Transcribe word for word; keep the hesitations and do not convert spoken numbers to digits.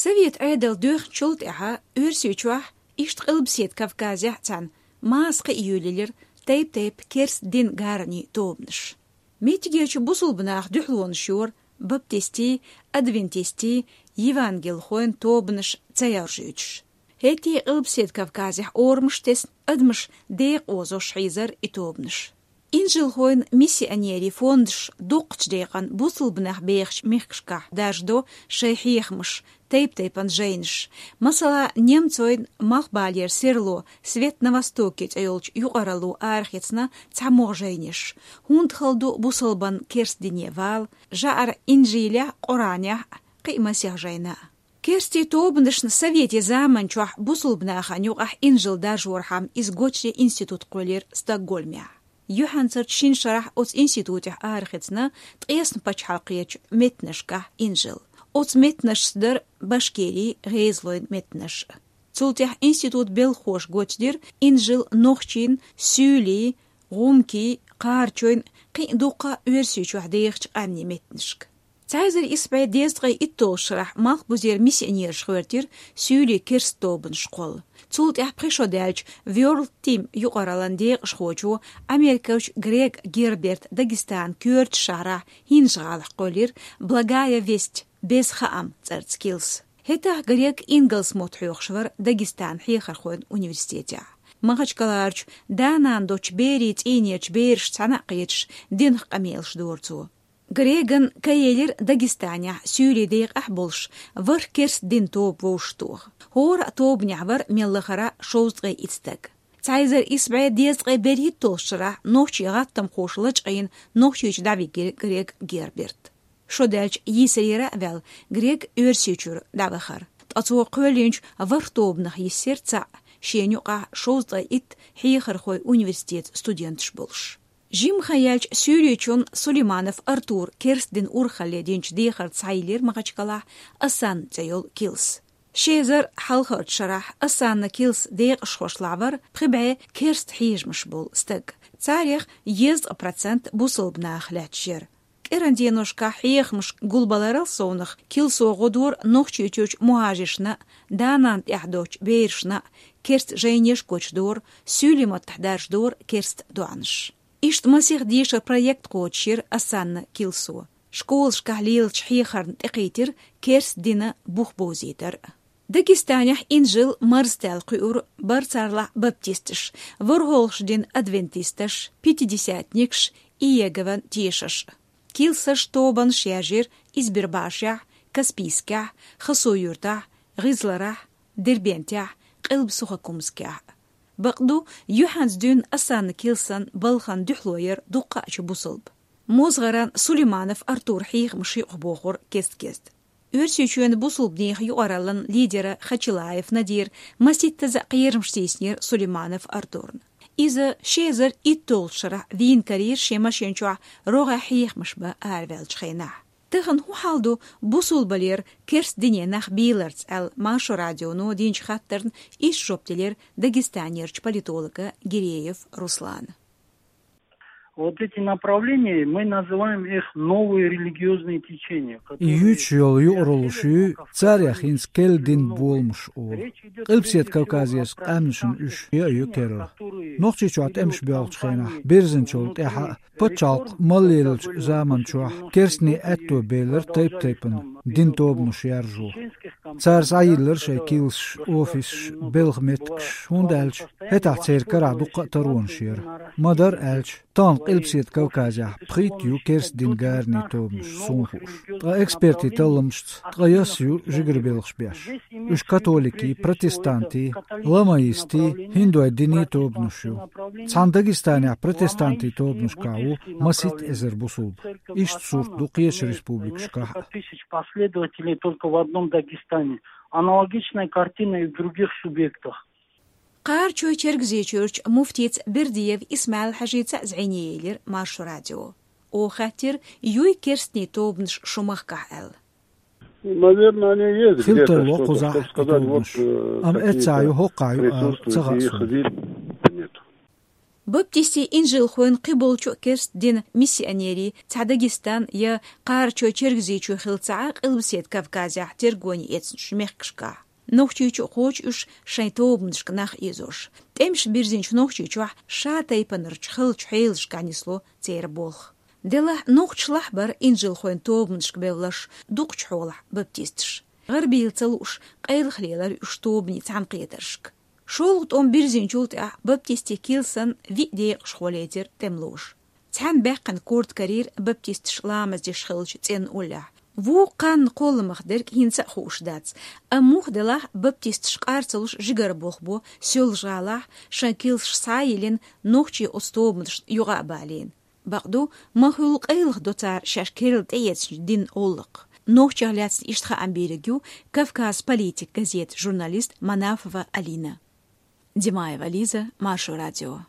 Совет Ӏедал доьхначул тӀаьхьа Оьрсийчохь, иштта Къилбаседа Кавказехь а цхьана, массо а кхиъ йолаелира тайп-тайпа керста динан гаранийн тобанаш. Меттигерчу бусулба наха дуьхьалонаш йора баптистийн, адвентистийн, евангелхойн тобанаш ца яржуьйтуш. ХӀетте а Къилбаседа Кавказехь орамаш тесна, адамаш декъа озош хьийзара и тобанаш. Инжилхойн миссионерийн фондаш дукхачу декъана бусулба нах бехачу мехкашкахь даржадо шайн хьехамаш, тайп-тайпана жайнаш. Масала, немцойн малхбалера серло «Свет на Востоке» цӀе йолчу юкъаралло арахецна цхьа могӀа жайнаш, хӀунда хала ду бусалбанна керста дине вала, жӀара Инжилехь а, Къуранехь а, кхин а масех жайна. Керста тобанашна советийн заманчохь бусулба нахана юкъахь инжил даржорхьама иза гочде институт кхоьллира Стокгольмехь. Юьхьанцарчу шина шарахь оцу институтехь арахецна ткъесна пачхьалкхерчу меттанашкахь инжил. Оцу меттанашца дара Башкирин, ГӀезалойн меттанаш. Цул тӀаьхьа институтан белхахоша гочдира инжил нохчийн, суьйлийн, гӀумкийн, кхарачойн, кхин а дуккха а Оьрсийчохь дехачу къаьмнийн меттанашка. Цхьа эзар исс бӀе дезткъе итталгӀачу шарахь малхбузера миссионераш гӀоьртира суьйлийн керста тобанаш кхолла. Цул тӀаьхьа пхи шо даьлча World Team юкъараллин декъашхочо, америкахочо Грег Герберта Дагестанан коьртачу шахьарахь, ХӀинжа-ГӀалахь кхоьллира «Благая весть», «Беза хаам» цӀарца килс. ХӀетахь Грег ингалс мотт хьоьхуш вара Дагестанан хьехархойн университетехь. Махачкаларчу да-нана доцчу берийн цӀийнерчу берашца цхьаьна а кхеташ, динах къамелаш дора цо. Греган кхаелира Дагестанехь суьйлийн декъахь болуш ворхӀ керста динан тоба вовшахтоха. ХӀора а тобанехь вара мел лахара шовзткъе итт стаг. Цхьа эзар исс бӀе дезткъе берхӀитталгӀачу шарахь нохчийн гӀаттамхоша лачкъийна Нохчийчу дӀавигира Грег Герберт. Шо даьлча йийсарера а ваьлла, Грег Оьрсийчуьра дӀавахара. Ткъа цо кхоьллинчу ворхӀ тобанах йисира цхьаъ, шена юкъахь шовзткъе итт хьехархойн университетан студенташ болуш. Жимма хан яьлча Суьйричун Сулейманов Артура керста динан урхалле динчу дехарца схьайиллира Махачкалахь Осанна цӀе йолу килс. Ши эзар хьалхарчу шарахь Осанна килсан декъашхошлахь вара пхи бӀе керста хьежамаш болу стаг. Царех дезткъа процент бусалба нах лаьтташ яра. КӀиран деношкахь хьехамаш гулбаларал совнах килсо гӀо дора Нохчийчуьрчу мухӀажиршна а, да-нана тӀехь доцчу берашна а, керста жайнаш гочдора, суьйлийн маттахь даржадора керста доӀанаш. Иштта масех дешаран проект кхочушйира Осанна килсо. Школашкахь лелачу хьехарна тӀекхийтира керста динан бух бовзийтар. Дагестанехь инжил марздаьлла кхуьура барцарлахь баптисташ, ворхӀалгӀачу дийнан адвентисташ, пятидесятникаш, Иегован тешаш. Килсаш, тобанаш яьржира Избербашехь, Каспийскехь, Хасавюртахь, ГӀизларахь, Дербентехь, Къилба-Сухокумскехь. Бакъду, юьхьанца дуьйна Осанна килсан балхана дуьхьало яра дуккхаъчу бусалба. МозгӀаран Сулейманов Артура хьехамаш юкъахбохура кест-кеста. Оьрсийчоьнан бусалбанийн юкъараллин лидера Хачилаев Надира масийттаза кхерамаш тийсинера Сулейманов Артурна. Иза ши эзар итталгӀачу шарахь вийна карийра шен машен чохь рогӀехь хьехамаш бан араваьллачу хенахь. Тахана хӀун хьал ду бусалбалера керста дине нах бийларца аьлла, Маршо радионо динчу хаттарна иштта жоп делира Дагестанерчу политолога Гиреев Руслана. Вот эти направления, мы называем их новые религиозные течения, которые И юьйцуш йолу юкъараллаш ю, царех хӀинца керла динан боламаш олу. Къилбаседа Кавказерчу къаьмнашна уьш яа ю керла. Нохчийчохь тӀемаш боьлхучу хенахь, бирзинчул тӀаьхьа а, пачхьалкх мел леллачу заманчохь керстанийн аьтто белира тайп-тайпана динан тобанаш яржо. Цара схьайиллира шайн килсаш, офисаш, белхан меттигаш, хӀунда аьлча хӀетахь церан карахь дуккха а таронаш яра. Ма-дарра аьлча, тахана Къилбаседа Кавказехь пхийтта ю керста динан гаранийн тобанаш, суна хууш. Ткъа экспертийн талламашца, ткъе исс ю жигара белхаш беш. Уьш католикийн, протестантийн, ламаистийн, хӀиндойн динийн тобанаш ю. Цхьана Дагестанехь протестантийн тобанашкахь ву масийтта эзар бусалба. Иштта сурт ду кхечу республикашкахь а. Тысяч последователей только в одном Дагестане. Аналогичная картина и в других субъектах. Кхарачой-Чергазийчуьрчу муфтица Бердиев Исмаил-Хьажица а зӀене елира Маршо радио. Оха хаьттира, юй керстанийн тобанаш шун махкахь аьлла. Наверное, они есть. Хила тарло кхузахь и тобанаш. Амма эццахь ю, хӀокхахь ю ала ца хаьа суна. Баптистийн инжилхойн кхиболчу а керста дина миссионерийн цхьа Дагестан я Кхарачой-Чергазийчоь хилла ца Ӏа Къилбаседа Кавказехь тергоне эцначу мехкашкахь. Нохчийчу а кхочу уьш шайн тобанашка нах ийзош. ТӀемаш бирзинчу Нохчийчохь ша тайпанарчу халчу хьелашкахь нисло церан болх. Делахь нохчашлахь бара инжилхойн тобанашка бевлларш, дукхачу хьолахь баптисташ. ГӀарабийла ца лууш, къайлаха лелара уьш тобанийн цхьаьнакхетаршка. ШолгӀа тӀом бирзинчул тӀаьхьа баптистийн килсан виъ декъашхо лецира тӀемалоша. Цхьаьна баьккхина корта карийра баптисташ ламаз деш хиллачу цӀенна уллехь. Вукху кханна кхолламах дерг хӀинца а хууш дац, амма муха делахь баптисташ къар ца луш жигара болх бо Соьлжа-ГӀалахь, шайн килсаш схьа а йиллина, нохчий оцу тобанашна юкъа а балийна. Бакъду, ма-хуьллу къайлаха до цара шаьш керла тӀеэцначу динан гӀуллакх. Нохчех лаьцна иштта хаам бийриг ю «Кавказ политик» газетан журналист Манафова Алина. Димаева Лиза, Маршо радио.